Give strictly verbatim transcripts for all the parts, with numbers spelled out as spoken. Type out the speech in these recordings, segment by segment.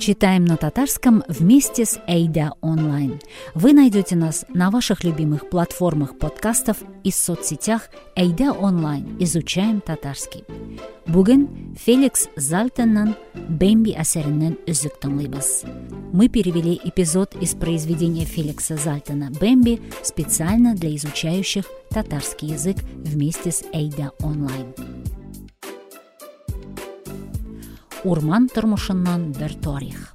Читаем на татарском вместе с Әйдә Онлайн. Вы найдете нас на ваших любимых платформах подкастов и соцсетях Әйдә Онлайн. Изучаем татарский. Бүген Феликс Зальтенның Бэмби әсәреннән өзек тыңлыйбыз. Мы перевели эпизод из произведения Феликса Зальтена «Бэмби» специально для изучающих татарский язык вместе с Әйдә Онлайн. Урман тормышыннан бер тарих.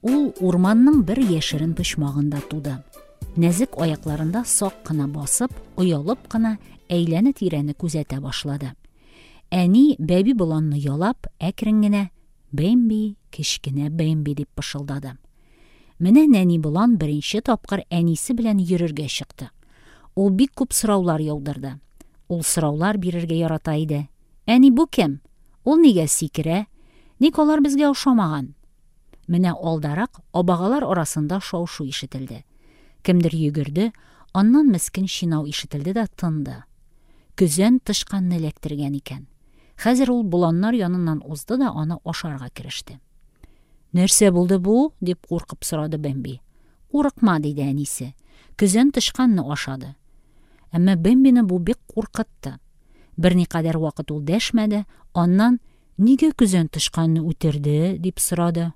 Ул урманның бер яшерен почмагында туды. Нәзек аякларында сак кына басып, оялып кына әйләнә-тирәне күзәтә башлады. Әни бәби боланны ялап, әкрен генә «Бэмби, кечкенә Бэмби» дип пышылдады. Менә нәни болан беренче тапкыр әнисе белән йөрергә чыкты. Ул бик күп сораулар яудырды. Ул сораулар бирергә ярата иде. Әни, бу кем? Ул нигә сикерә? Ник алар безгә ошамаган? Менә алдарак абагалар арасында шау-шу ишетелде. Кемдер йөгерде, аннан мескен чинау ишетелде дә тынды. Көзән тычканны эләктергән икән. Хәзер ул боланнар яныннан узды да аны ашарга кереште. Нәрсә булды бу? дип куркып сорады Бэмби. Курыкма, диде әнисе. Көзән тычканны ашады. Әмма Бэмбины бу бик куркытты. Берникадәр вакыт ул дәшмәде, аннан «Нигә көзән тычканны үтерде?» дип сорады.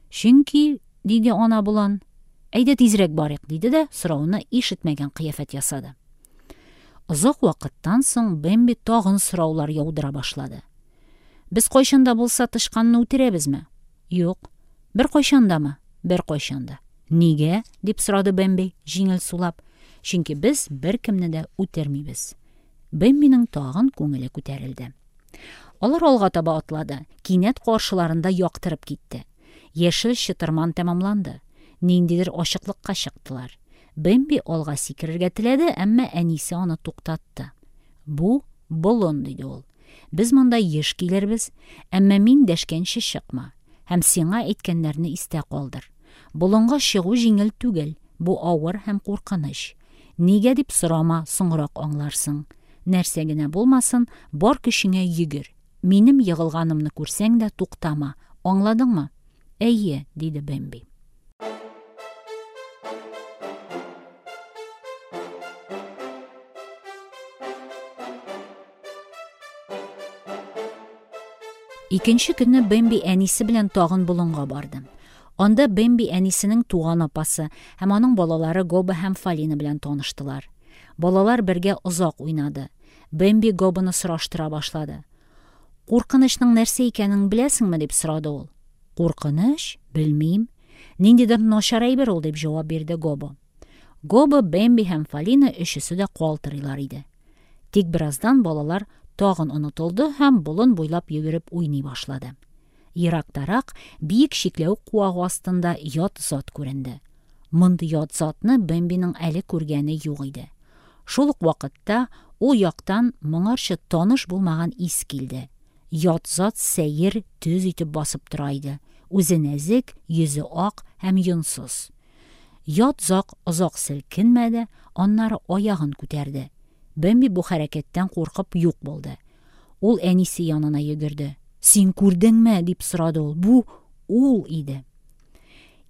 «Чөнки», диде ана болан. «Әйдә тизрәк барыйк», диде дә сорауны ишетмәгән кыяфәт ясады. Озак вакыттан соң Бэмби тагын сораулар яудыра башлады. Без кайчан да булса тычканны үтерәбезме? Юк. Бер кайчан дамы? Бер кайчан да. Нигә? дип сорады Бэмби, җиңел сулап. Чөнки без беркемне дә үтермибез. Бэмбиның тагын күңеле күтәрелде. Алар алга таба атлады. Кинәт каршыларында яктырып китте. Яшел чытырман тәмамланды. Ниндидер ачыклыкка чыктылар. Бэмби алга сикерергә теләде, әмма әнисе аны туктатты. Бу болын, диде ул. Без монда еш килербез, әмма мин дәшкәнче чыкма һәм сиңа әйткәннәрне истә калдыр. Болынга чыгу җиңел түгел, бу авыр һәм куркыныч. Нигә дип сорама, соңрак аңларсың. Нәрсә генә булмасын, бар көчеңә йөгер. Минем егылганымны күрсәң дә туктама. Аңладыңмы? Әйе, диде Бэмби. Икенче көнне Бэмби әнисе белән тагын болынга барды. Анда Бэмби әнисенең туган апасы һәм аның балалары Гобо һәм Фалина белән таныштылар. Балалар бергә озак уйнады. Бэмби Гобоны сораштыра башлады. Куркынычның нәрсә икәнен беләсеңме, дип сорады ул. Куркыныч? Белмим. Ниндидер начар әйбер ул, дип җавап бирде Гобо. Гобо, Бэмби һәм Фалина өчесе дә калтырыйлар иде. Тик бераздан балалар тагын онытылды һәм болын буйлап йөгереп уйный башлады. Ерактарак биек чикләвек куагы астында ят зат күренде. Мондый ят затны Бэмбиның әле күргәне юк иде. Шул ук вакытта ул яктан моңарчы таныш булмаган ис килде. Ят зат сәер, төз итеп басып тора иде. Үзе нәзек, йөзе ак һәм йонсыз. Ят зат озак селкенмәде, аннары аягын күтәрде. Бэмби бу хәрәкәттән куркып юк булды. Ул әнисе янына йөгерде. Син күрдеңме? дип сорады ул. Бу ул иде.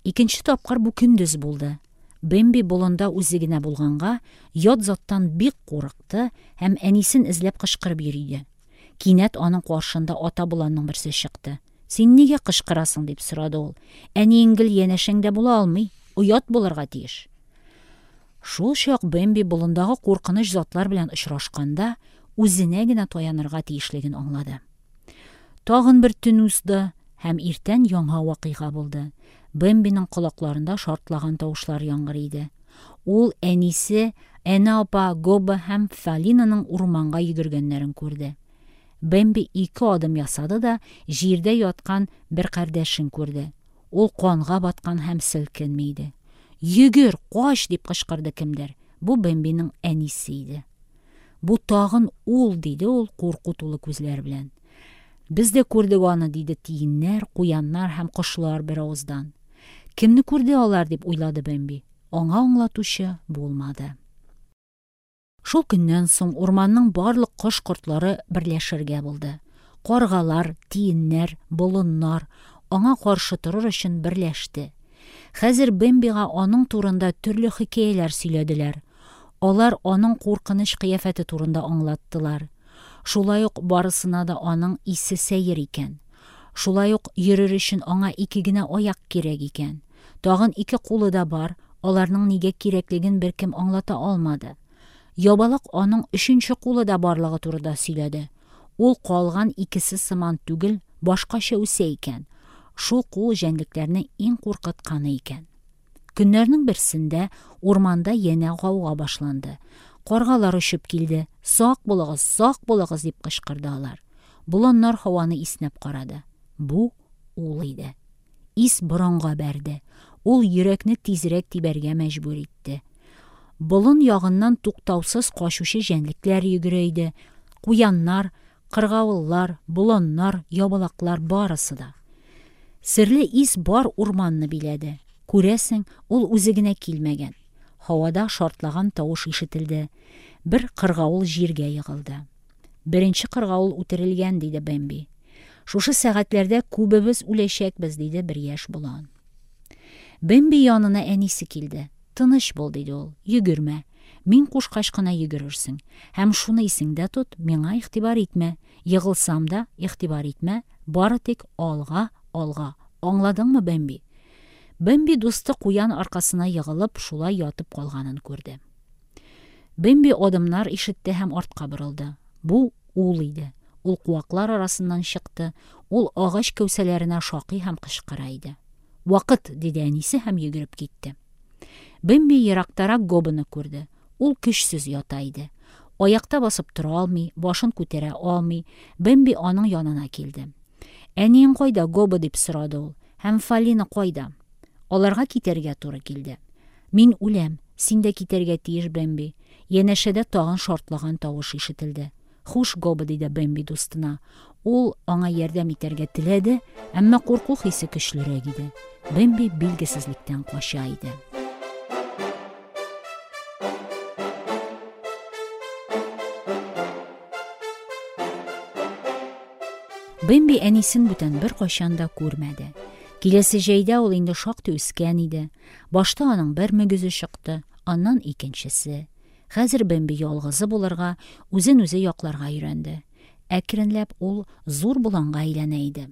Икенче тапкыр бу көндез булды. Бэмби болында үзе генә булганга, ят заттан бик курыкты һәм әнисен эзләп кычкырып йөриде. Кинәт аның каршында ата боланның берсе чыкты. Син нигә кычкырасың? дип сорады ул. Әниең гел янәшәңдә була алмый, оят булырга тиеш. Шул чак Бэмби болындагы куркыныч затлар белән очрашканда үзенә генә таянырга тиешлеген аңлады. Тагын бер төн узды һәм иртән яңа вакыйга булды. Бэмбиның колакларында шартлаган тавышлар яңгырый иде. Ул әнисе, Әнә апа, Гобо һәм Фалинаның урманга йөгергәннәрен күрде. Бэмби ике адым ясады да җирдә яткан бер кардәшен күрде. Ул канга баткан һәм селкенми иде. Йөгер, кач, дип кычкырды кемдер. Бу Бэмбиның әнисе иде. Бу тагын ул, диде ул курку тулы күзләр белән. Без дә күрдек аны, диде тиеннәр, куяннар һәм кошлар бер авыздан. Кемне күрде алар, дип уйлады Бэмби. Аңа аңлатучы булмады. Шул көннән соң урманның барлык кош-кортлары берләшергә булды. Каргалар, тиеннәр, болыннар аңа каршы торыр өчен берләште. Хәзер Бэмбига аның турында төрле хикәяләр сөйләделәр. Алар аның куркыныч кыяфәте турында аңлаттылар. Шулай ук барысына да аның исе сәер икән. Шулай ук йөрер өчен аңа ике генә аяк кирәк икән. Тагын ике кулы да бар, аларның нигә кирәклеген беркем аңлата алмады. Ябалак аның өченче кулы да барлыгы турында сөйләде. Ул калган икесе сыман түгел, башкача үсә икән. Шул кул җәнлекләрне иң куркытканы икән. Көннәрнең берсендә урманда янә гауга башланды. Каргалар очып килде. "Сак булыгыз, сак булыгыз!" дип кычкырды алар. Боланнар һаваны иснәп карады. Бу ул иде. Ис борынга бәрде. Ул йөрәкне тизрәк тибәргә мәҗбүр итте. Болын ягыннан туктаусыз качучы җәнлекләр йөгерә иде. Куяннар, кыргавыллар, боланнар, ябалаклар барысы да. Серле ис бар урманны биләде. Күрәсең, ул үзе генә килмәгән. Һавада шартлаган тавыш ишетелде. Бер кыргавыл җиргә егылды. Беренче кыргавыл үтерелгән, диде Бэмби. Шушы сәгатьләрдә күбебез үләчәкбез, диде бер яшь болан. Бэмби янына әнисе килде. Тыныч бул, диде ул. Йөгермә. Мин кушкач кына йөгерерсең. Һәм шуны исеңдә тот, миңа игътибар итмә. Егылсам да, игътибар итмә. Бары тик алга, алга. Аңладыңмы, Бэмби? Бэмби дусты куян аркасына егылып, шулай ятып калганын күрде. Бэмби адымнар ишетте һәм артка борылды. Бу ул иде. Ул куаклар арасыннан чыкты. Ул агач кәүсәләренә шакый һәм кычкыра иде. "Вакыт!" диде әнисе һәм йөгереп китте. Бэмби ерактарак Гобоны күрде. Ул көчсез ята иде. Аякта басып тора алмый, башын күтәрә алмый. Бэмби аның янына килде. "Әниең кайда, Гобо?" дип сорады ул. "Һәм Фалина кайда?" Аларга китәргә туры килде. "Мин үләм. Син дә китәргә тиеш, Бэмби." Янәшәдә тагын шартлаган тавыш ишетелде. "Хуш, Гобо", диде Бэмби дустына. Ул аңа ярдәм итәргә теләде, әмма курку хисе көчлерәк иде. Бэмби билгесезлектән кача иде. Бэмби әнисен бүтән беркайчан да күрмәде. Киләсе җәйдә ул инде шактый үскән иде. Башта аның бер мөгезе чыкты, аннан икенчесе. Хәзер Бэмби ялгызы булырга, үзен үзе якларга өйрәнде. Әкренләп ул зур боланга әйләнә иде.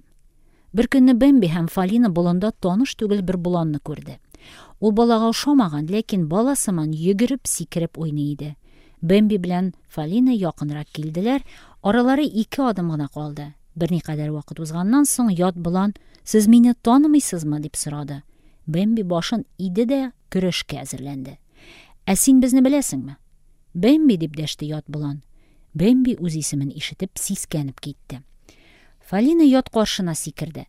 Бер көнне Бэмби һәм Фалина болында таныш түгел бер боланны күрде. Ул балага ошамаган, ләкин бала сыман йөгереп, сикереп уйный иде. Бэмби белән Фалина якынрак килделәр, аралары ике адым гына калды. Берникадәр вакыт узганнан соң ят болан: "Сез мине танымыйсызмы?" дип сорады. Бэмби башын иде дә көрәшкә әзерләнде. "Ә син безне беләсеңме?" "Бэмби", дип дәште ят болан. Бэмби үз исемен ишетеп сискәнеп китте. Фалина ят каршына сикерде.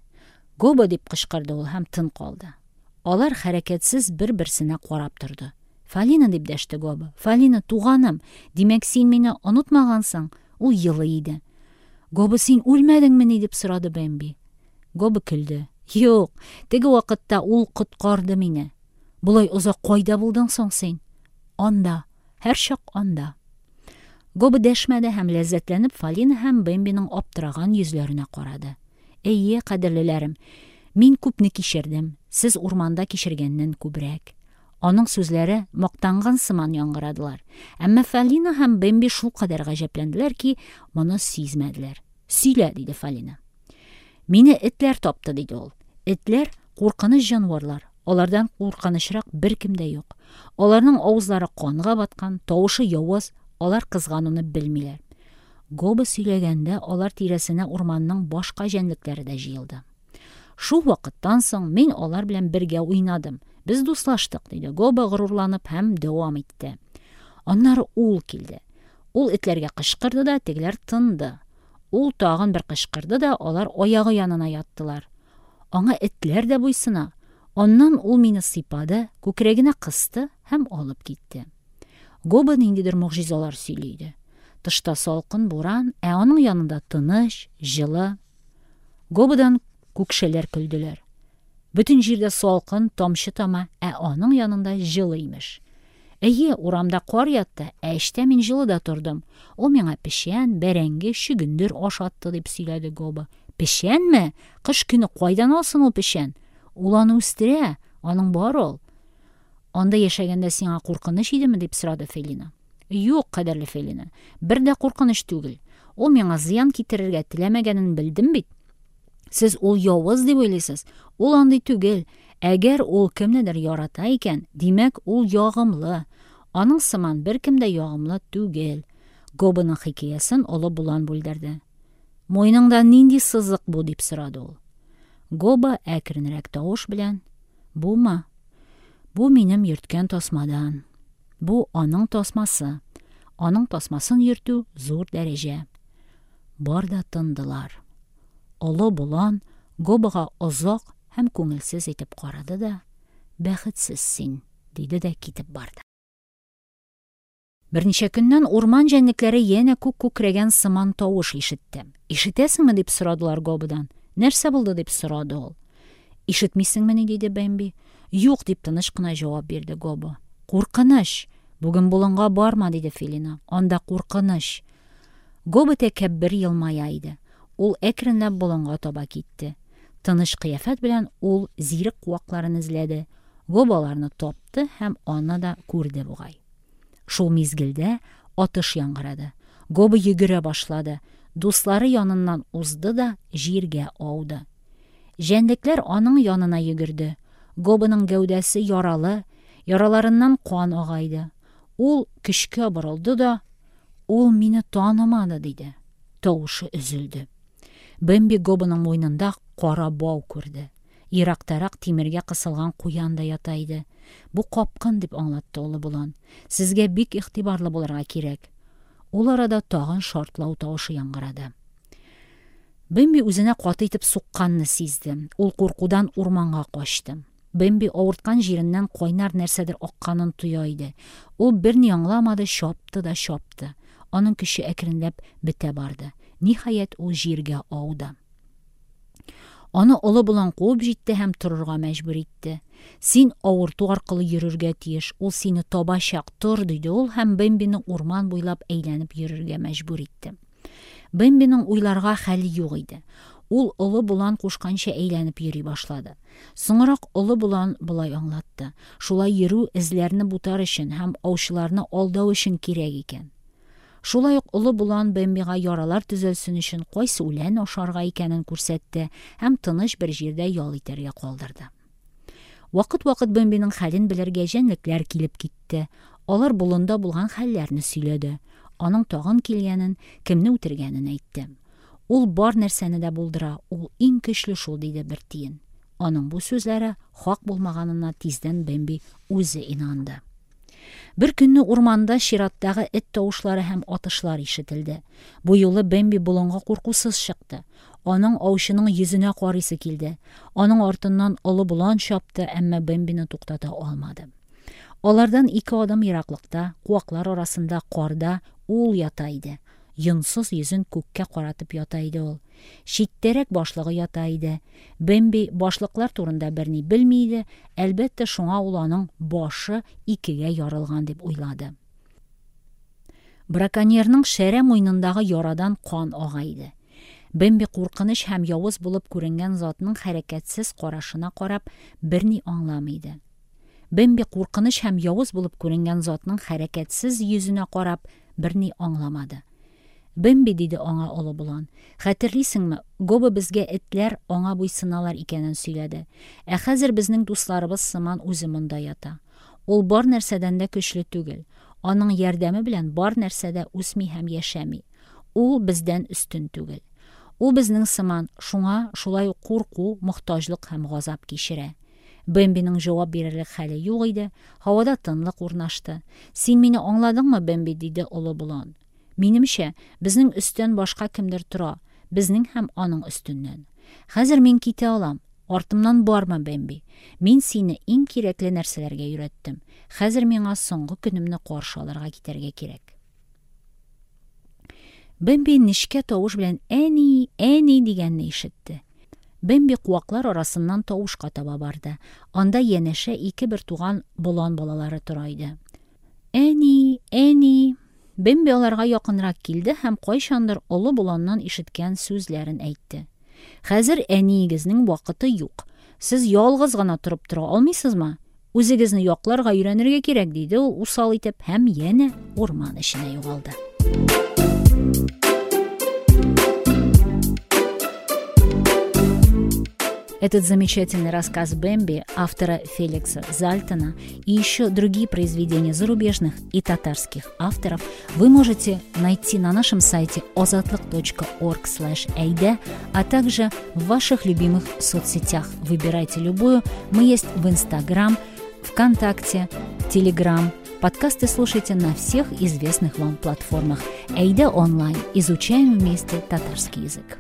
"Гобо!" дип кычкырды ул һәм тын калды. Алар хәрәкәтсез бер-берсенә карап торды. "Фалина!" дип дәште Гобо. "Фалина, туганым, димәк, син мине онытмагансың?" Ул елый иде. "Гобо, син үлмәдеңмени?" дип сорады Бэмби. Гобо көлде. "Юк, теге вакытта ул коткарды мине. Болай озак кайда булдың соң син?" "Анда, һәрчак анда." Гобо дәшмәде һәм ләззәтләнеп Фалина һәм Бэмбиның аптыраган йөзләренә карады. "Әйе, кадерлеләрем, мин күпне кичердем. Сез урманда кичергәннән күбрәк." Аның сүзләре мактанган сыман яңгырадылар. Әмма Фалина һәм Бэмби шулкадәр гаҗәпләнделәр ки, моны сизмәделәр. "Сөйлә", диде Фалина. "Мине этләр тапты", диде ул. "Этләр куркыныч җанварлар. Алардан куркынычрак беркем дә юк. Аларның авызлары канга баткан, тавышы явыз, алар кызгануны белмиләр." Гобо сөйләгәндә алар тирәсенә урманның башка җәнлекләре дә җыелды. Шул вакыттан соң мин алар белән бергә уйнадым. Без дуслаштык, диде Гобо горурланып һәм дәвам итте. Аннары ул килде. Ул этләргә кычкырды да, тегеләр тынды. Ул тагын бер кычкырды да, алар аягы янына яттылар. Аңа этләр дә буйсына. Аннан ул мине сыйпады, күкрәгенә кысты һәм алып китте. Гобо ниндидер могҗизалар сөйли иде. Тышта салкын буран, ә аның янында тыныч, җылы. Гободан күкшәләр көлделәр. Бөтен җирдә салкын, тамчы тама, ә аның янында җылы имеш. Әйе, урамда кар ятты, ә эчтә мин җылыда тордым. Ул миңа печән, бәрәңге, чөгендер ашатты, – дип сөйләде Гобо. Печәнме? Кыш көне кайдан алсын ул печән? Ул аны үстерә. Аның бар ул. Анда яшәгәндә сиңа куркыныч идеме? – дип сорады Фелина. Юк, кадерле Фелина, бер дә куркыныч түгел. Ул миңа зыян китерергә теләмәгәнен белдем бит. Сез ул явыз дип уйлыйсыз. Ул андый түгел. Әгәр ул кемнедер ярата икән, димәк, ул ягымлы. Аның сыман беркем дә ягымлы түгел. Гобоның хикәясен олы болан бүлдерде. Муеныңда нинди сызык бу? – дип сорады ул. Гобо әкренрәк тавыш белән: "Бумы? Бу минем йөрткән тасмадан. Бу аның тасмасы. Аның тасмасын йөртү зур дәрәҗә". Бар да тындылар. Олы болан Гобога озак һәм күңелсез итеп карады да: "Бәхетсез син", – диде дә китеп барды. Берничә көннән урман җәнлекләре янә күк күкрәгән сыман тавыш ишетте. "Ишетәсеңме?" – дип сорадылар Гободан. "Нәрсә булды?" – дип сорады ул. "Ишетмисеңмени?" – диде Бэмби. "Юк", – дип тыныч кына җавап бирде Гобо. "Куркыныч! Бүген болынга барма", – диде Фелина. "Анда куркыныч". Гобо тәкәббер елмая иде. Ул әкренләп болынга таба китте. Тыныч кыяфәт белән ул зирек куакларын эзләде. Гобо аларны тапты һәм аны да күрде бугай. Шул мизгелдә атыш яңгырады. Гобо йөгерә башлады. Дуслары яныннан узды да җиргә ауды. Җәнлекләр аның янына йөгерде. Гобоның гәүдәсе яралы, яраларыннан кан ага иде. Ул көчкә борылды да: "Ул мине танымады", – диде. Тавышы өзелде. Бэмби Гобоның муенында кара бау күрде. Ерактарак тимергә кысылган куян да ята иде. "Бу капкын", – дип аңлатты олы болан. "Сезгә бик игътибарлы булырга кирәк". Ул арада тагын шартлау тавышы яңгырады. Бэмби үзенә каты итеп сукканны сизде. Ул куркудан урманга качты. Бэмби авырткан җиреннән кайнар нәрсәдер акканын тоя иде. Ул берни аңламады, чапты да чапты. Аның көче әкренләп бетә барды. Ниһаять, ул җиргә ауды. Аны олы болан куып җитте һәм торырга мәҗбүр итте. "Син авырту аркылы йөрергә тиеш. Ул сине табачак. Тор", – диде ул һәм Бэмбины урман буйлап әйләнеп йөрергә мәҗбүр итте. Бэмбиның уйларга хәле юк иде. Ул олы болан кушканча әйләнеп йөри башлады. Соңрак олы болан болай аңлатты: шулай йөрү эзләрне бутар өчен һәм аучыларны алдау өчен кирәк икән. Шулай ук олы болан Бэмбига яралар төзәлсен өчен кайсы үлән ашарга икәнен күрсәтте һәм тыныч бер җирдә ял итәргә калдырды. Вакыт-вакыт Бэмбиның хәлен белергә җәнлекләр килеп китте. Алар болында булган хәлләрне сөйләде. Аның тагын килгәнен, кемне үтергәнен әйтте. "Ул бар нәрсәне дә булдыра, ул иң көчле шул", – диде бер тиен. Аның бу сүзләре хак булмаганына тиздән Бэмби үзе инанды. Бер көнне урманда чираттагы эт тавышлары һәм атышлар ишетелде. Бу юлы Бэмби болынга куркусыз чыкты. Аның аучының йөзенә карыйсы килде. Аның артыннан олы болан чапты, әмма Бэмбины туктата алмады. Алардан ике адым ераклыкта, куаклар арасында карда ул ята иде. Йонсыз йөзен күккә каратып ята иде ул. Читтәрәк башлыгы ята иде. Бэмби башлыклар турында берни белми иде, әлбәттә, шуңа ул аның башы икегә ярылган дип уйлады. Браконьерның шәрә муенындагы ярадан кан ага иде. Бэмби куркыныч һәм явыз булып күренгән затның хәрәкәтсез карашына карап берни аңламый иде. Бэмби куркыныч һәм явыз булып күренгән затның хәрәкәтсез йөзенә карап берни аңламады. "Бэмби", – диде аңа олы болан. "Хәтерлисеңме, Гобо безгә этләр аңа буйсыналар икәнен сөйләде. Ә хәзер безнең дусларыбыз сыман үзе монда ята. Ул бар нәрсәдән дә көчле түгел. Аның ярдәме белән бар нәрсә дә үсми һәм яшәми. Ул бездән өстен түгел. Ул безнең сыман, шуңа шулай ук курку, мохтаҗлык һәм газап кичерә". Бэмбиның җавап бирерлек хәле юк иде. Һавада тынлык урнашты. "Син мине аңладыңмы, Бэмби?" – диде олы болан. "Минемчә, безнең өстән башка кемдер тора, безнең һәм аның өстеннән. Хәзер мин китә алам. Артымнан барма, Бэмби. Мин сине иң кирәкле нәрсәләргә өйрәттем. Хәзер миңа соңгы көнемне каршы алырга китәргә кирәк". Бэмби нечкә тавыш белән "Әни, әни" дигәнне ишетте. Бэмби куаклар арасыннан тавышка таба барды. Анда янәшә ике бертуган болан балалары тора иде. Әни, әни! Бэмби аларга якынрак килде һәм кайчандыр олы боланнан ишеткән сүзләрен әйтте. Хәзер әниегезнең вакыты юк. Сез ялгыз гына торып тора алмыйсызмы? Үзегезне якларга өйрәнергә кирәк, диде ул усал итеп һәм янә урман эченә югалды. Этот замечательный рассказ Бэмби автора Феликса Зальтона и еще другие произведения зарубежных и татарских авторов вы можете найти на нашем сайте озатлык точка орг слэш эйдэ, а также в ваших любимых соцсетях. Выбирайте любую. Мы есть в Инстаграм, ВКонтакте, Телеграм. Подкасты слушайте на всех известных вам платформах. Әйдә онлайн. Изучаем вместе татарский язык.